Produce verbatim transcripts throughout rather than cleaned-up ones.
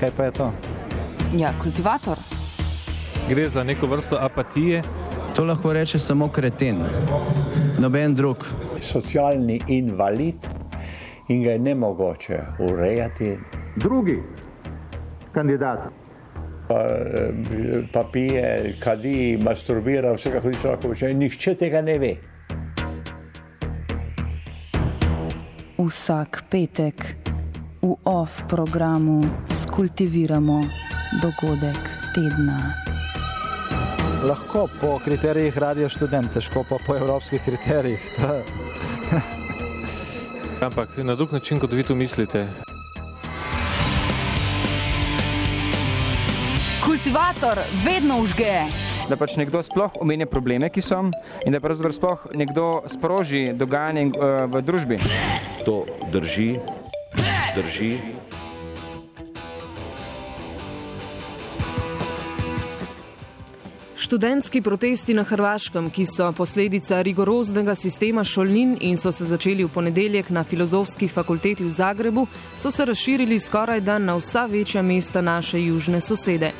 kaj pa je to? Ja, kultivator. Gre za neko vrsto apatije. To lahko reče samo kreten, noben drug. Socialni invalid in ga je nemogoče urejati. Drugi kandidat. Pa, pa pije, kadi, masturbira, vse kako nič lahko počne. Nihče tega ne ve. Vsak petek v off programu skultiviramo dogodek tedna. Lahko po kriterijih Radio Študent, težko pa po evropskih kriterijih. Ampak na drug način, kot vi to mislite. Kultivator vedno užge. Da pač nekdo sploh omenja probleme, ki so, in da pravzaprav sploh nekdo sproži dogajanje v družbi. To drži, drži. Študentski protesti na Hrvaškem, ki so posledica rigoroznega sistema šolnin in so se začeli v ponedeljek na Filozofski fakulteti v Zagrebu, so se razširili skorajda na vsa večja mesta naše južne sosede.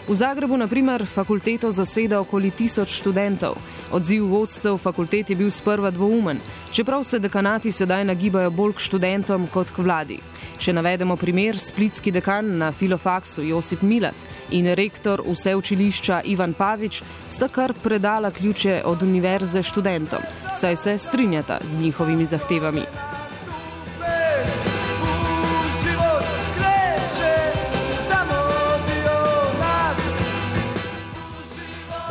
V Zagrebu, na primer, fakulteto zaseda okoli tisoč študentov. Odziv vodstev fakultet je bil sprva dvoumen, čeprav se dekanati sedaj nagibajo bolj k študentom kot k vladi. Če navedemo primer, splitski dekan na Filofaksu Josip Milat in rektor vse učilišča Ivan Pavič sta kar predala ključe od univerze študentom, saj se strinjata z njihovimi zahtevami.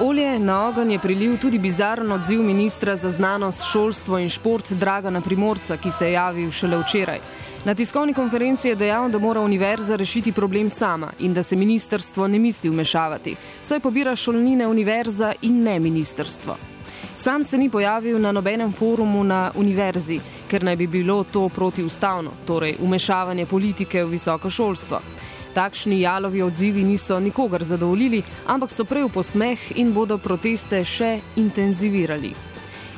Olje na ogenj je prilil tudi bizaren odziv ministra za znanost, šolstvo in šport Dragana Primorca, ki se je javil šele včeraj. Na tiskovni konferenci je dejal, da mora univerza rešiti problem sama in da se ministrstvo ne misli vmešavati, saj pobira šolnine univerza in ne ministrstvo. Sam se ni pojavil na nobenem forumu na univerzi, ker naj bi bilo to protiustavno, torej vmešavanje politike v visoko šolstvo. Takšni jalovi odzivi niso nikogar zadovoljili, ampak so prej v posmeh in bodo proteste še intenzivirali.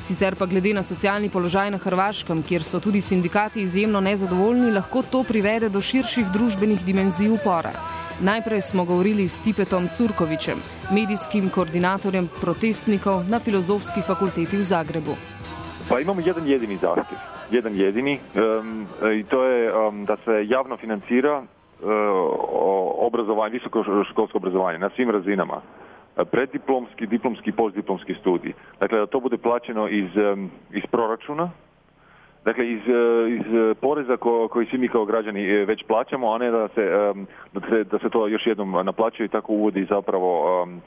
Sicer pa glede na socialni položaj na Hrvaškem, kjer so tudi sindikati izjemno nezadovoljni, lahko to privede do širših družbenih dimenzij upora. Najprej smo govorili s Tipetom Curkovićem, medijskim koordinatorjem protestnikov na Filozofski fakulteti v Zagrebu. Pa imamo jedan jedini zahtjev, jedan jedini, um, i to je um, da se javno financira obrazovanje, visokoškolsko obrazovanje na svim razinama, preddiplomski, diplomski i postdiplomski studij. Dakle, da to bude plaćeno iz, iz proračuna, dakle, iz, iz poreza ko, koji svi mi kao građani već plaćamo, a ne da se, da se, da se to još jednom naplaćuje i tako uvodi zapravo um,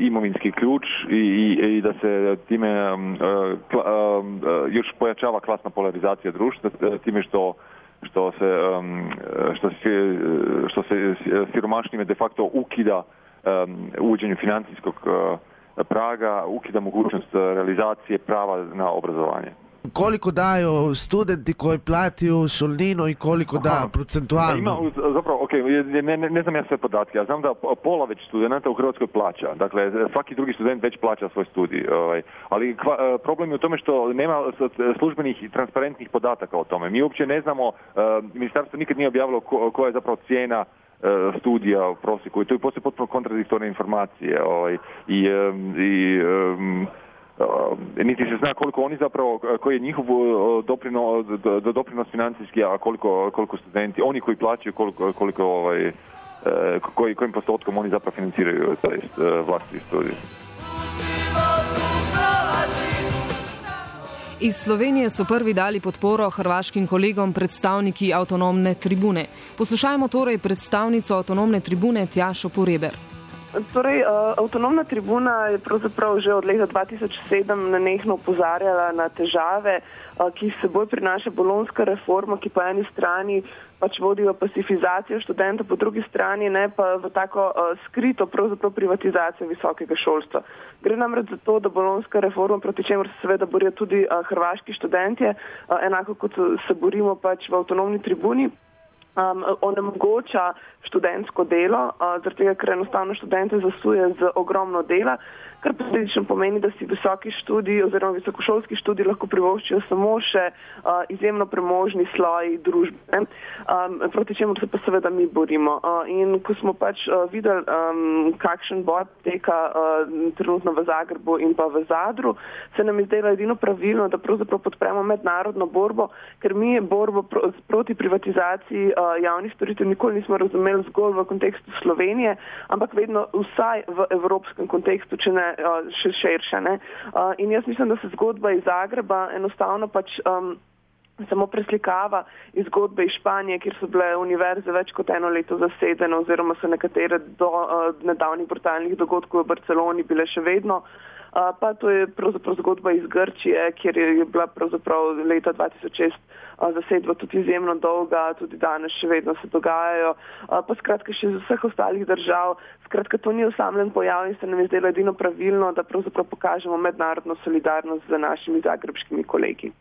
imovinski ključ i, i, i da se time um, um, još pojačava klasna polarizacija društva, time što što se, um, što se, što se siromašnjime de facto ukida um, uvođenju financijskog uh, praga, ukida mogućnost realizacije prava na obrazovanje. Koliko daju studenti koji platiju šolninu i koliko da procentualno? Ima, zapravo, ok, ne, ne, ne znam ja sve podatke, ja znam da pola već studenta u Hrvatskoj plaća, dakle svaki drugi student već plaća svoj studij, ovaj, ali kva, problem je u tome što nema službenih i transparentnih podataka o tome. Mi uopće ne znamo, uh, ministarstvo nikad nije objavilo ko, koja je zapravo cijena uh, studija u prosjeku i to je postoje potpuno kontradiktorne informacije ovaj, i, um, i um, Uh, niti se zna koliko oni zapravo, koji je njihov doprinos, doprinos financijski, a koliko, koliko studenti, oni koji plaćaju, koliko, koliko ovaj, uh, koji, kojim postotkom oni zapravo financiraju taj uh, vlastiti studij. Iz Slovenije so prvi dali podporo hrvaškim kolegom predstavniki avtonomne tribune. Poslušajmo torej predstavnico avtonomne tribune Tjašo Poreber. Torej, avtonomna tribuna je pravzaprav že od leta dva tisoč sedem nenehno opozarjala na težave, ki se seboj prinaša bolonjska reforma, ki po eni strani pač vodi v pasifizacijo študenta, po drugi strani ne pa v tako skrito pravzaprav privatizacijo visokega šolstva. Gre namreč za to, da bolonjska reforma, proti čemer se seveda borijo tudi hrvaški študentje, enako kot se borimo pač v avtonomni tribuni, um, onemogoča študentsko delo, uh, zaradi tega, ker enostavno študente zasuje z ogromno dela, kar posledično pomeni, da si visoki študij oziroma visokošolski študij lahko privoščijo samo še uh, izjemno premožni sloji družbe, um, proti čemu se pa seveda mi borimo. Uh, in ko smo pač uh, videli, um, kakšen boj teka uh, trenutno v Zagrebu in pa v Zadru, se nam je zdelo edino pravilno, da pravzaprav podpremo mednarodno borbo, ker mi borbo pro, proti privatizaciji uh, javnih storitev nikoli nismo razumeli zgolj v kontekstu Slovenije, ampak vedno vsaj v evropskem kontekstu, če ne še širše. Ne? Uh, in jaz mislim, da se zgodba iz Zagreba enostavno pač um, samo preslikava iz zgodbe iz Španije, kjer so bile univerze več kot eno leto zasedene oziroma so nekatere do uh, nedavnih brutalnih dogodkov v Barceloni bile še vedno. Uh, pa to je pravzaprav zgodba iz Grčije, kjer je bila pravzaprav leta dva tisoč šest uh, zasedba tudi izjemno dolga, tudi danes še vedno se dogajajo, uh, pa skratka še iz vseh ostalih držav. Skratka, to ni osamljen pojav in se nam je zdelo edino pravilno, da pravzaprav pokažemo mednarodno solidarnost z našimi zagrebškimi kolegi.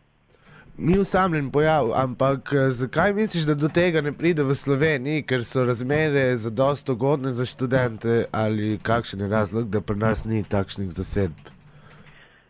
Ni osamljen pojav, ampak zakaj misliš, da do tega ne pride v Sloveniji, ker so razmere zadosti ugodne za študente ali kakšen je razlog, da pri nas ni takšnih zasedb?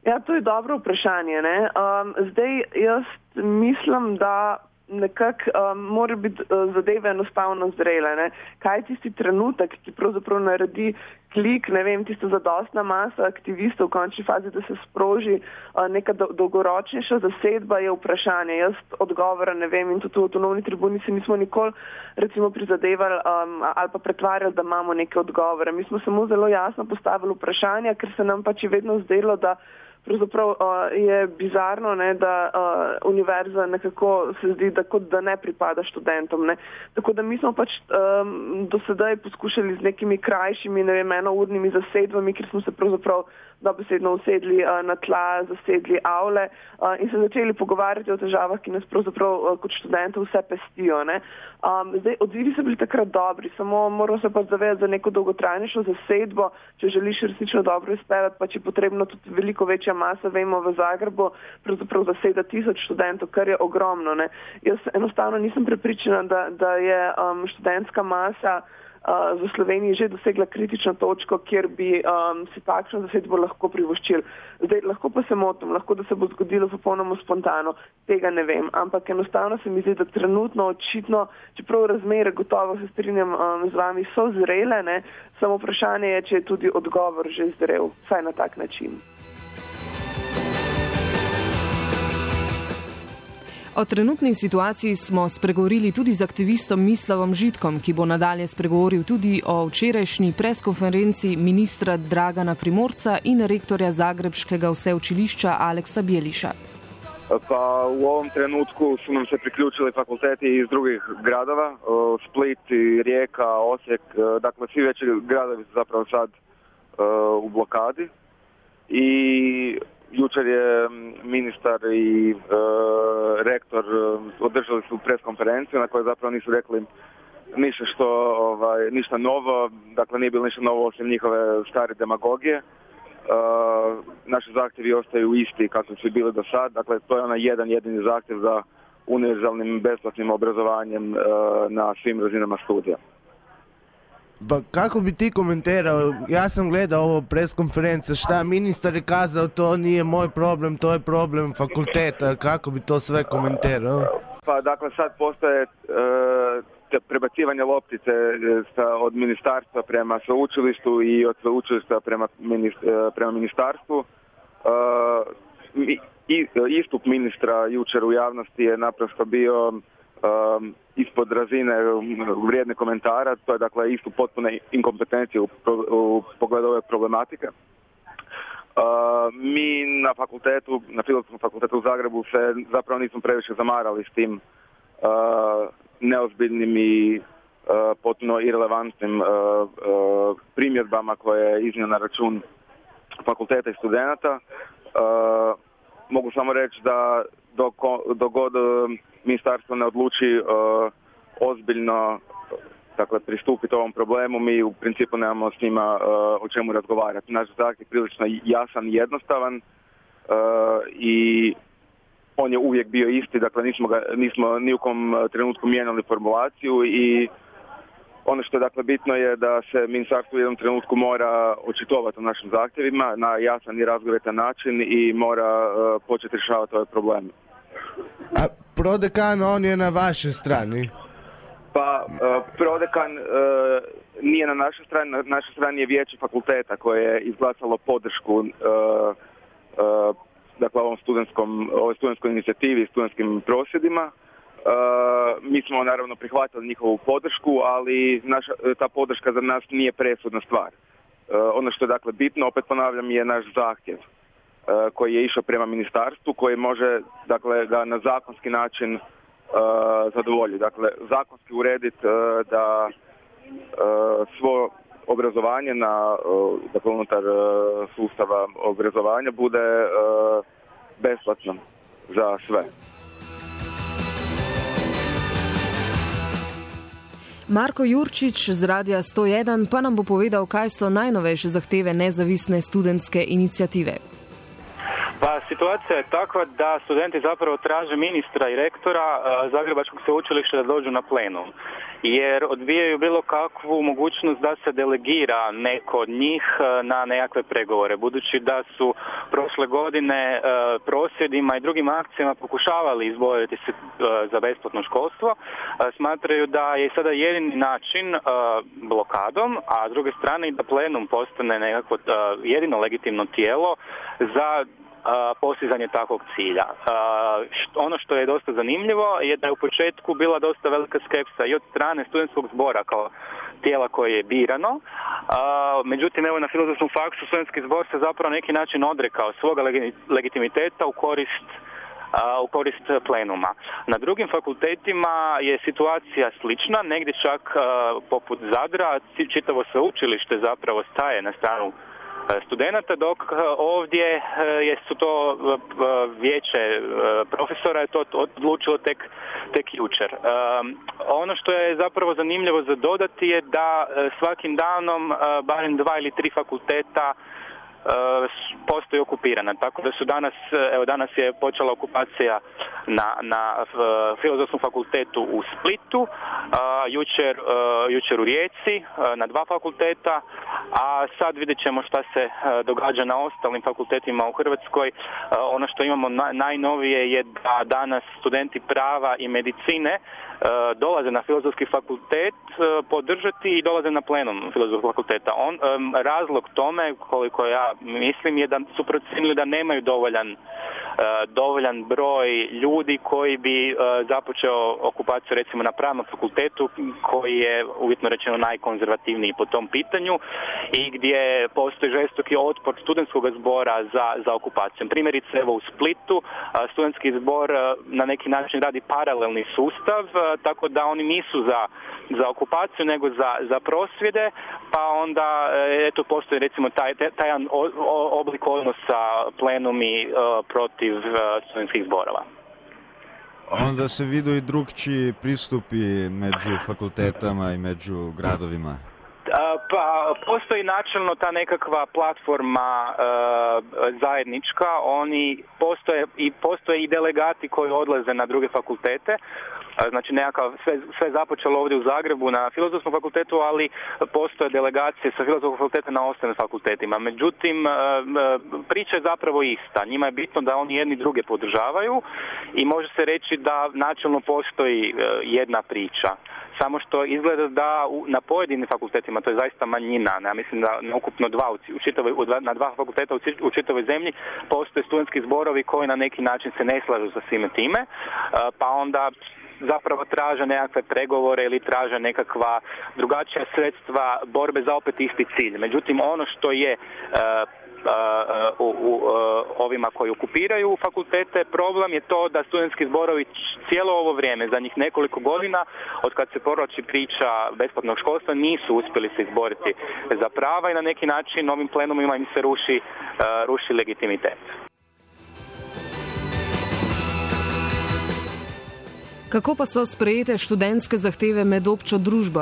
Ja, to je dobro vprašanje. Ne? Um, zdaj, jaz mislim, da nekako um, mora biti uh, zadeve enostavno zrele. Ne? Kaj je tisti trenutek, ki pravzaprav naredi klik, ne vem, tista zadostna masa aktivistov v končni fazi, da se sproži uh, neka do, dolgoročnejša zasedba, je vprašanje. Jaz odgovora ne vem in tudi v avtonomni tribuni se nismo nikoli recimo prizadevali um, ali pa pretvarjali, da imamo neke odgovore. Mi smo samo zelo jasno postavili vprašanja, ker se nam pač je vedno zdelo, da pravzaprav uh, je bizarno, ne, da uh, univerza nekako se zdi, da kot da ne pripada študentom. Ne. Tako da mi smo pač um, do sedaj poskušali z nekimi krajšimi, ne vem, enournimi zasedbami, kjer smo se pravzaprav dobesedno usedli uh, na tla, zasedli avle uh, in se začeli pogovarjati o težavah, ki nas pravzaprav uh, kot študentov vse pestijo. Ne. Um, zdaj, odzivi so bili takrat dobri, samo moramo se pa zavedati za neko dolgotrajnejšo zasedbo, če želiš resnično dobro izpeljati, pa če je potrebno tudi veliko večja masa, vemo, v Zagrebu pravzaprav zaseda tisoč študentov, kar je ogromno. Ne. Jaz enostavno nisem prepričana, da, da je um, študentska masa Uh, v Sloveniji že dosegla kritično točko, kjer bi um, si takšno zasedbo lahko privoščili. Zdaj, lahko pa se motim, lahko da se bo zgodilo popolnoma spontano, tega ne vem, ampak enostavno se mi zdi, da trenutno očitno, čeprav razmere gotovo se strinjam um, z vami, so zrele, ne, samo vprašanje je, če je tudi odgovor že zrel, vsaj na tak način. O trenutni situaciji smo spregovorili tudi z aktivistom Mislavom Žitkom, ki bo nadalje spregovoril tudi o včerajšnji preskonferenci ministra Dragana Primorca in rektorja Zagrebškega vseučilišča Aleksa Bjeliša. Pa u ovom trenutku su nam se priključili fakulteti iz drugih gradova, Split, Rijeka, Osijek, dakle svi veći gradovi su zapravo sad u blokadi i jučer je ministar i e, rektor održali su preskonferenciju na kojoj zapravo nisu rekli ništa što, ovaj, ništa novo, dakle nije bilo ništa novo osim njihove stare demagogije. E, naši zahtjevi ostaju isti kako su bili do sad, dakle to je onaj jedan jedini zahtjev za univerzalnim besplatnim obrazovanjem e, na svim razinama studija. Pa kako bi ti komentirao, ja sam gledao ovo preskonferencija, šta ministar je kazao, to nije moj problem, to je problem fakulteta, kako bi to sve komentirao? Pa dakle sad postoje e, prebacivanje loptice od ministarstva prema sveučilištu i od sveučilišta prema, minist, prema ministarstvu. E, i, istup ministra jučer u javnosti je naprosto bio Um, ispod razine vrijedne komentara, to je dakle istup potpune inkompetencije u, u pogledu ove problematike. Uh, mi na fakultetu, na Filozofskom fakultetu u Zagrebu se zapravo nismo previše zamarali s tim uh, neozbiljnim i uh, potpuno irelevantnim uh, uh, primjedbama koje je iznio na račun fakulteta i studenata. Uh, mogu samo reći da dok, dok god ministarstvo ne odluči uh, ozbiljno dakle, pristupiti ovom problemu, mi u principu nemamo s njima uh, o čemu razgovarati. Naš zahtjev je prilično jasan i jednostavan uh, i on je uvijek bio isti, dakle nismo, ga, nismo ni u kom trenutku mijenjali formulaciju i ono što je dakle bitno je da se ministarstvo u jednom trenutku mora očitovati o našim zahtjevima na jasan i razgovetan način i mora uh, početi rješavati ove probleme. A prodekan, on je na vašoj strani? Pa uh, prodekan uh, nije na našoj strani, na našoj strani je vijeće fakulteta koje je izglasalo podršku uh, uh, dakle ovom studentskom, ovoj studentskoj inicijativi i studentskim prosvjedima. Uh, mi smo naravno prihvatili njihovu podršku, ali naša, ta podrška za nas nije presudna stvar. Uh, ono što je dakle bitno, opet ponavljam, je naš zahtjev uh, koji je išao prema ministarstvu, koji može dakle ga na zakonski način uh, zadovoljiti. Dakle, zakonski urediti uh, da uh, svo obrazovanje na, uh, dakle, unutar uh, sustava obrazovanja bude uh, besplatno za sve. Marko Jurčič z Radia sto jedan pa nam bo povedal, kaj so najnovejše zahteve nezavisne studentske inicijative. Pa situacija je takva da studenti zapravo traže ministra i rektora Zagrebačkog sveučilišta da dođu na plenum, jer odbijaju bilo kakvu mogućnost da se delegira neko od njih na nekakve pregovore, budući da su prošle godine prosvjedima i drugim akcijama pokušavali izboriti se za besplatno školstvo. Smatraju da je sada jedini način blokadom, a s druge strane i da plenum postane nekako jedino legitimno tijelo za postizanje takvog cilja. Ono što je dosta zanimljivo je da je u početku bila dosta velika skepsa i od strane studentskog zbora kao tijela koje je birano. Međutim, evo na Filozofskom faksu studentski zbor se zapravo na neki način odrekao svoga legitimiteta u korist u korist plenuma. Na drugim fakultetima je situacija slična, negdje čak poput Zadra čitavo sveučilište zapravo staje na stranu studenata, dok ovdje je su to vijeće profesora je to odlučilo tek, tek jučer. Ono što je zapravo zanimljivo za dodati je da svakim danom barem dva ili tri fakulteta postoji okupirana, tako da su danas, evo danas je počela okupacija na, na Filozofskom fakultetu u Splitu, a, jučer, a, jučer u Rijeci a, na dva fakulteta, a sad vidjet ćemo šta se a, događa na ostalim fakultetima u Hrvatskoj. A, ono što imamo na, najnovije je da danas studenti prava i medicine a, dolaze na Filozofski fakultet a, podržati i dolaze na plenum Filozofskog fakulteta. On, a, razlog tome, koliko ja mislim, je da su procijenili da nemaju dovoljan, uh, dovoljan broj ljudi koji bi uh, započeo okupaciju recimo na pravnom fakultetu, koji je uvjetno rečeno najkonzervativniji po tom pitanju i gdje postoji žestoki otpor studentskog zbora za, za okupacijom. Primjerice, evo u Splitu uh, studentski zbor uh, na neki način radi paralelni sustav, uh, tako da oni nisu za, za okupaciju nego za, za prosvjede, pa onda uh, eto postoji recimo taj, taj jedan oblik odnosa plenumi uh, protiv uh, studentskih zborova. Onda se vidu i drugčiji pristupi među fakultetama i među gradovima. Pa postoji načelno ta nekakva platforma uh, zajednička, oni postoje i postoje i delegati koji odlaze na druge fakultete. Znači nekakav, sve, sve započelo ovdje u Zagrebu na Filozofskom fakultetu, ali postoje delegacije sa Filozofskog fakulteta na ostalim fakultetima. Međutim, priča je zapravo ista. Njima je bitno da oni jedni druge podržavaju i može se reći da načelno postoji jedna priča. Samo što izgleda da u, na pojedinim fakultetima, to je zaista manjina, ja mislim da na ukupno dva, u čitavoj, na dva fakulteta u, u čitavoj zemlji postoje studentski zborovi koji na neki način se ne slažu sa svime time, pa onda zapravo traže nekakve pregovore ili traže nekakva drugačija sredstva borbe za opet isti cilj. Međutim, ono što je uh, uh, uh, uh, ovima koji okupiraju fakultete, problem je to da studentski zborovi cijelo ovo vrijeme, za njih nekoliko godina, od kad se provlači priča besplatnog školstva, nisu uspjeli se izboriti za prava i na neki način ovim plenumima im se ruši, uh, ruši legitimitet. Kako pa so sprejete študentske zahteve med občo družbo?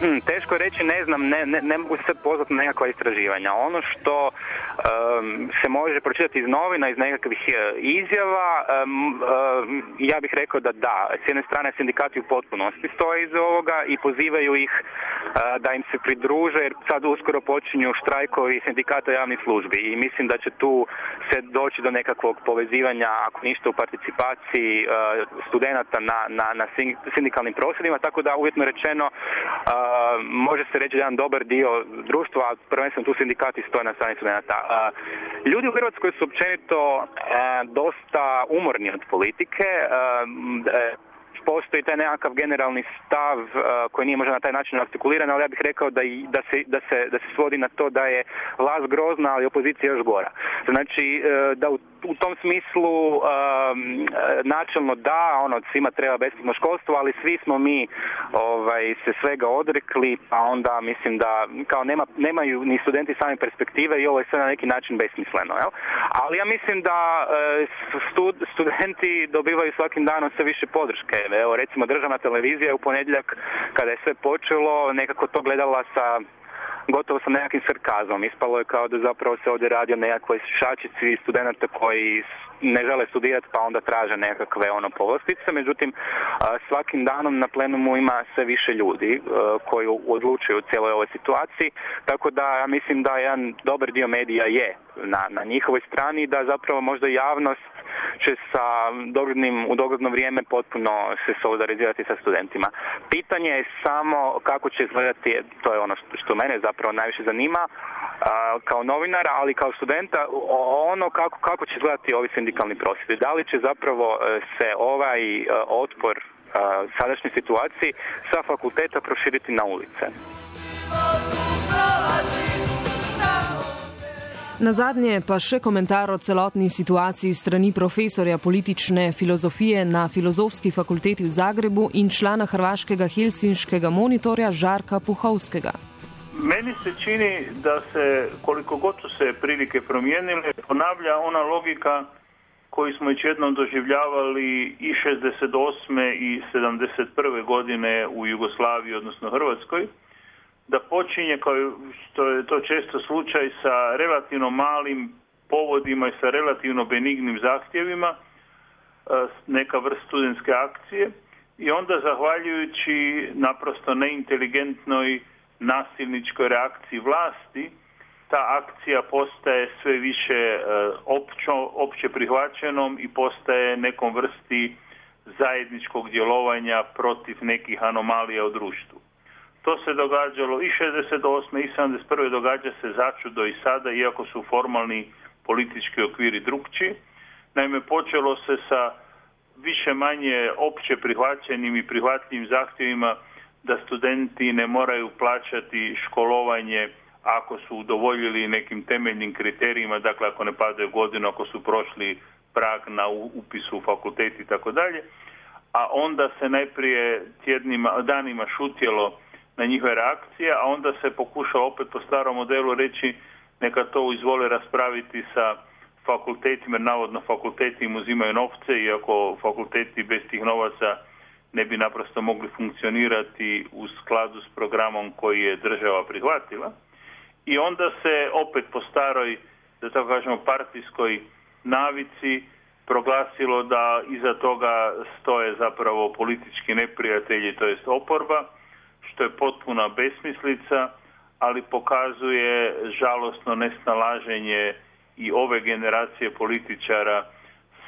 hm, teško reći, ne znam, ne, ne, ne mogu se pozvati na nekakva istraživanja. Ono što um, se može pročitati iz novina, iz nekakvih izjava, um, um, ja bih rekao da da. S jedne strane sindikati u potpunosti stoje iz ovoga i pozivaju ih uh, da im se pridruže, jer sad uskoro počinju štrajkovi sindikata javnih službi i mislim da će tu se doći do nekakvog povezivanja, ako ništa u participaciji uh, studenata na, na, na sindikalnim prosvjedima, tako da uvjetno rečeno uh, može se reći da jedan dobar dio društva, a prvenstveno tu sindikati stoje na strani studenata. Uh, ljudi u Hrvatskoj su općenito uh, dosta umorni od politike. Uh, Postoji taj nekakav generalni stav uh, koji nije možda na taj način artikuliran, ali ja bih rekao da, i, da, se, da, se, da se svodi na to da je vlast grozna, ali opozicija još gora. Znači uh, da u, u tom smislu uh, načelno da, ono, svima treba besplatno školstvo, ali svi smo mi ovaj, se svega odrekli, pa onda mislim da kao nema, nemaju ni studenti sami perspektive i ovo je sve na neki način besmisleno. Jel? Ali ja mislim da uh, stud, studenti dobivaju svakim danom sve više podrške. Evo, recimo državna televizija u ponedjeljak kada je sve počelo nekako to gledala sa gotovo sa nekakvim sarkazmom. Ispalo je kao da zapravo se ovdje radi o nekakvoj šačici studenta koji ne žele studirati pa onda traže nekakve ono povlastice. Međutim, svakim danom na plenumu ima sve više ljudi koji odlučuju u cijeloj ovoj situaciji. Tako da ja mislim da jedan dobar dio medija je na, na njihovoj strani, da zapravo možda javnost će sa doglednim, u dogledno vrijeme potpuno se solidarizirati sa studentima. Pitanje je samo kako će izgledati, to je ono što, što mene zapravo najviše zanima, a, kao novinara, ali kao studenta, ono kako, kako će izgledati ovi sindikalni prosvjedi. Da li će zapravo se ovaj otpor a, sadašnjoj situaciji sa fakulteta proširiti na ulice? Na zadnje pa še komentar o celotni situaciji strani profesorja politične filozofije na Filozofski fakulteti v Zagrebu in člana hrvaškega helsinškega monitorja Žarka Puhovskega. Meni se čini da se, koliko god su se prilike promijenile, ponavlja ona logika koju smo već jednom doživljavali i šezdeset osme i sedamdeset prve godine u Jugoslaviji, odnosno Hrvatskoj, da počinje, kao što je to često slučaj, sa relativno malim povodima i sa relativno benignim zahtjevima, neka vrst studentske akcije, i onda zahvaljujući naprosto neinteligentnoj nasilničkoj reakciji vlasti, ta akcija postaje sve više općo, opće prihvaćenom i postaje nekom vrsti zajedničkog djelovanja protiv nekih anomalija u društvu. To se događalo i šezdeset osme i sedamdeset prve događa se začudo i sada, iako su formalni politički okviri drukčiji. Naime, počelo se sa više manje opće prihvaćenim i prihvatljivim zahtjevima da studenti ne moraju plaćati školovanje ako su udovoljili nekim temeljnim kriterijima, dakle ako ne padaju godinu, ako su prošli prag na upisu u fakultet i tako dalje, a onda se najprije tjednima, danima šutjelo na njihove reakcije, a onda se pokušalo opet po starom modelu reći neka to izvole raspraviti sa fakultetima, jer navodno fakulteti im uzimaju novce, iako fakulteti bez tih novaca ne bi naprosto mogli funkcionirati u skladu s programom koji je država prihvatila. I onda se opet po staroj, da tako kažemo, partijskoj navici proglasilo da iza toga stoje zapravo politički neprijatelji, to jest oporba, što je potpuna besmislica, ali pokazuje žalosno nesnalaženje i ove generacije političara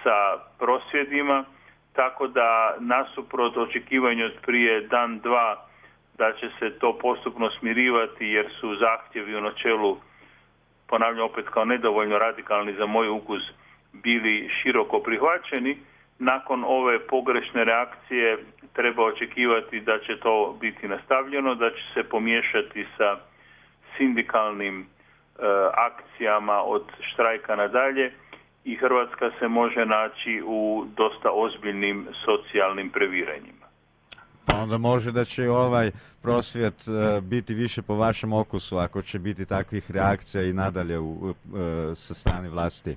sa prosvjedima, tako da nasuprot očekivanju od prije dan, dva, da će se to postupno smirivati jer su zahtjevi u načelu, ponavljam opet kao nedovoljno radikalni za moj ukus, bili široko prihvaćeni. Nakon ove pogrešne reakcije treba očekivati da će to biti nastavljeno, da će se pomiješati sa sindikalnim e, akcijama od štrajka nadalje i Hrvatska se može naći u dosta ozbiljnim socijalnim previranjima. Pa onda može da će ovaj prosvjet uh, biti više po vašem okusu ako će biti takvih reakcija i nadalje u, uh, sa strane vlasti.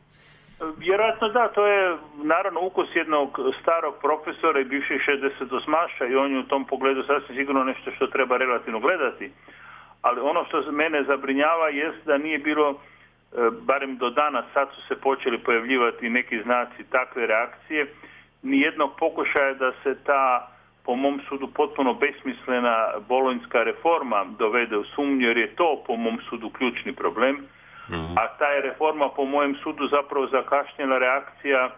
Vjerojatno da, to je naravno ukus jednog starog profesora i bivših šezdesetosmaša i on je u tom pogledu sasvim sigurno nešto što treba relativno gledati. Ali ono što mene zabrinjava jest da nije bilo, barem do danas, sad su se počeli pojavljivati neki znaci takve reakcije, nijednog pokušaja da se ta, po mom sudu, potpuno besmislena bolonjska reforma dovede u sumnju, jer je to, po mom sudu, ključni problem. A ta je reforma, po mojem sudu, zapravo zakašnjela reakcija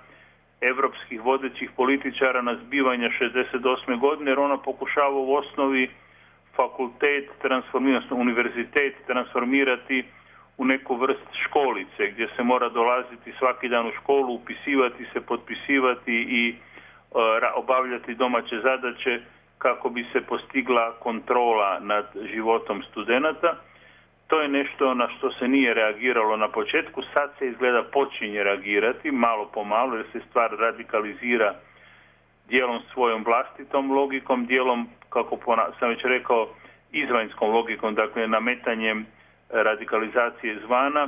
evropskih vodećih političara na zbivanja šezdeset osme godine, jer ona pokušava u osnovi fakultet, transformirati, univerzitet transformirati u neku vrst školice, gdje se mora dolaziti svaki dan u školu, upisivati se, potpisivati i uh, obavljati domaće zadaće kako bi se postigla kontrola nad životom studenata. To je nešto na što se nije reagiralo na početku, sad se izgleda počinje reagirati, malo po malo, jer se stvar radikalizira dijelom svojom vlastitom logikom, dijelom, kako sam već rekao, izvanjskom logikom, dakle nametanjem radikalizacije izvana,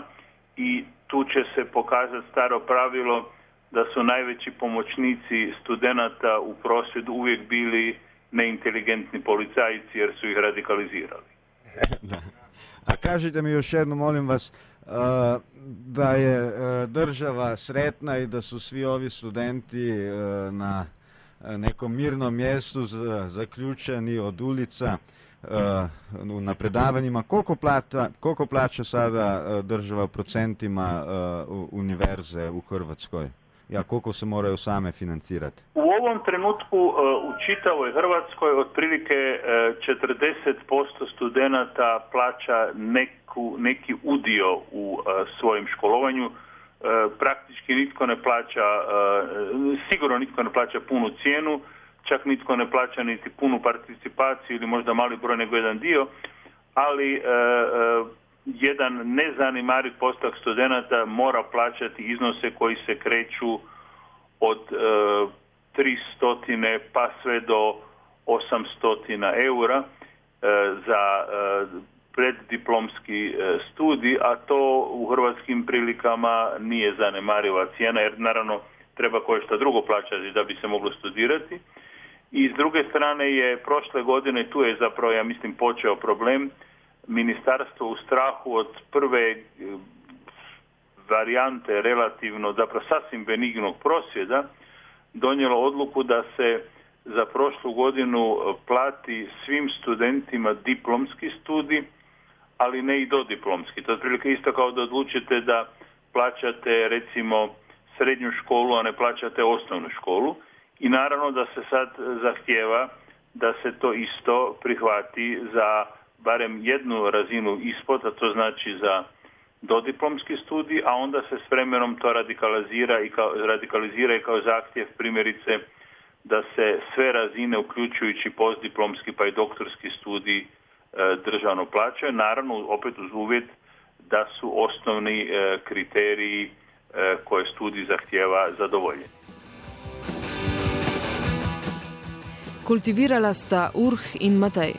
i tu će se pokazati staro pravilo da su najveći pomoćnici studenata u prosvjedu uvijek bili neinteligentni policajci jer su ih radikalizirali. Da. A kažite mi još jedno, molim vas, da je država sretna i da su svi ovi studenti na nekom mirnom mjestu zaključeni od ulica na predavanjima. Koliko plaća, koliko plaća sada država procentima univerze u Hrvatskoj? Ja, koliko se moraju same financirati? U ovom trenutku u čitavoj Hrvatskoj otprilike četrdeset posto studenata plaća neku, neki udio u svojem školovanju. Praktički nitko ne plaća, sigurno nitko ne plaća punu cijenu, čak nitko ne plaća niti punu participaciju ili možda mali broj nego jedan dio, ali jedan nezanemariv postotak studenata mora plaćati iznose koji se kreću od e, tristo pa sve do osamsto eura e, za e, preddiplomski e, studij, a to u hrvatskim prilikama nije zanemariva cijena, jer naravno treba koje što drugo plaćati da bi se moglo studirati. I s druge strane je prošle godine, tu je zapravo, ja mislim, počeo problem, ministarstvo u strahu od prve varijante relativno, zapravo sasvim benignog prosvjeda, donijelo odluku da se za prošlu godinu plati svim studentima diplomski studij, ali ne i dodiplomski. To je otprilike isto kao da odlučite da plaćate recimo srednju školu, a ne plaćate osnovnu školu. I naravno da se sad zahtijeva da se to isto prihvati za barem jednu razinu ispod, a to znači za dodiplomski studij, a onda se s vremenom to radikalizira i kao, radikalizira i kao zahtjev primjerice da se sve razine, uključujući postdiplomski pa i doktorski studij, e, državno plaćaju. Naravno, opet uz uvjet da su osnovni e, kriteriji e, koje studij zahtijeva zadovoljeni. Kultivirala sta Urh in Matej.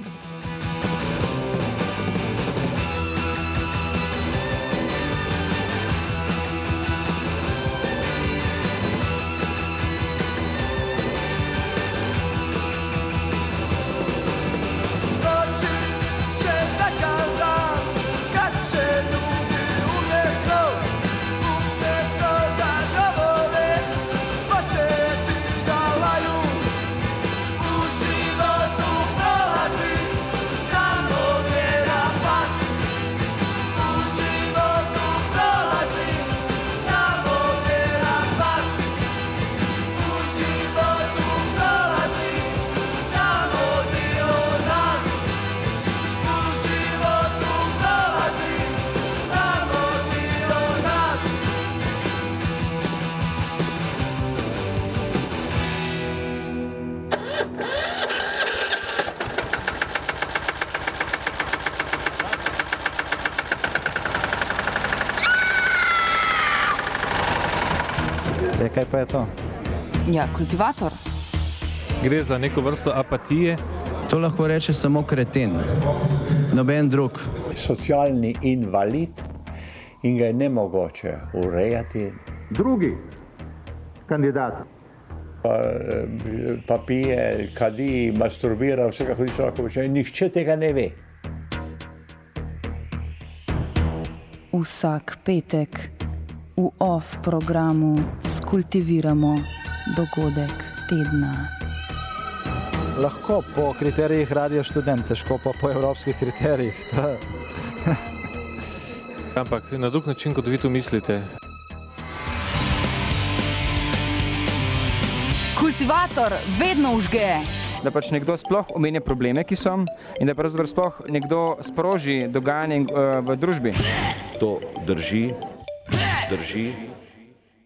Kaj pa je to? Ja, kultivator. Gre za neko vrsto apatije. To lahko reče samo kreten, noben drug. Socialni invalid in ga je nemogoče urejati, Drugi kandidat. Pa, pa pije, kadi, masturbira, vsega hodi človeka počne. Nihče tega ne ve. Vsak petek v off programu skultiviramo dogodek tedna. Lahko po kriterijih Radia Študent, težko pa po evropskih kriterijih. Ampak na drug način, kot vi to mislite. Kultivator vedno vžge. Da pač nekdo sploh omenja probleme, ki so, in da pravzaprav sploh nekdo sproži dogajanje uh, v družbi. To drži, drži.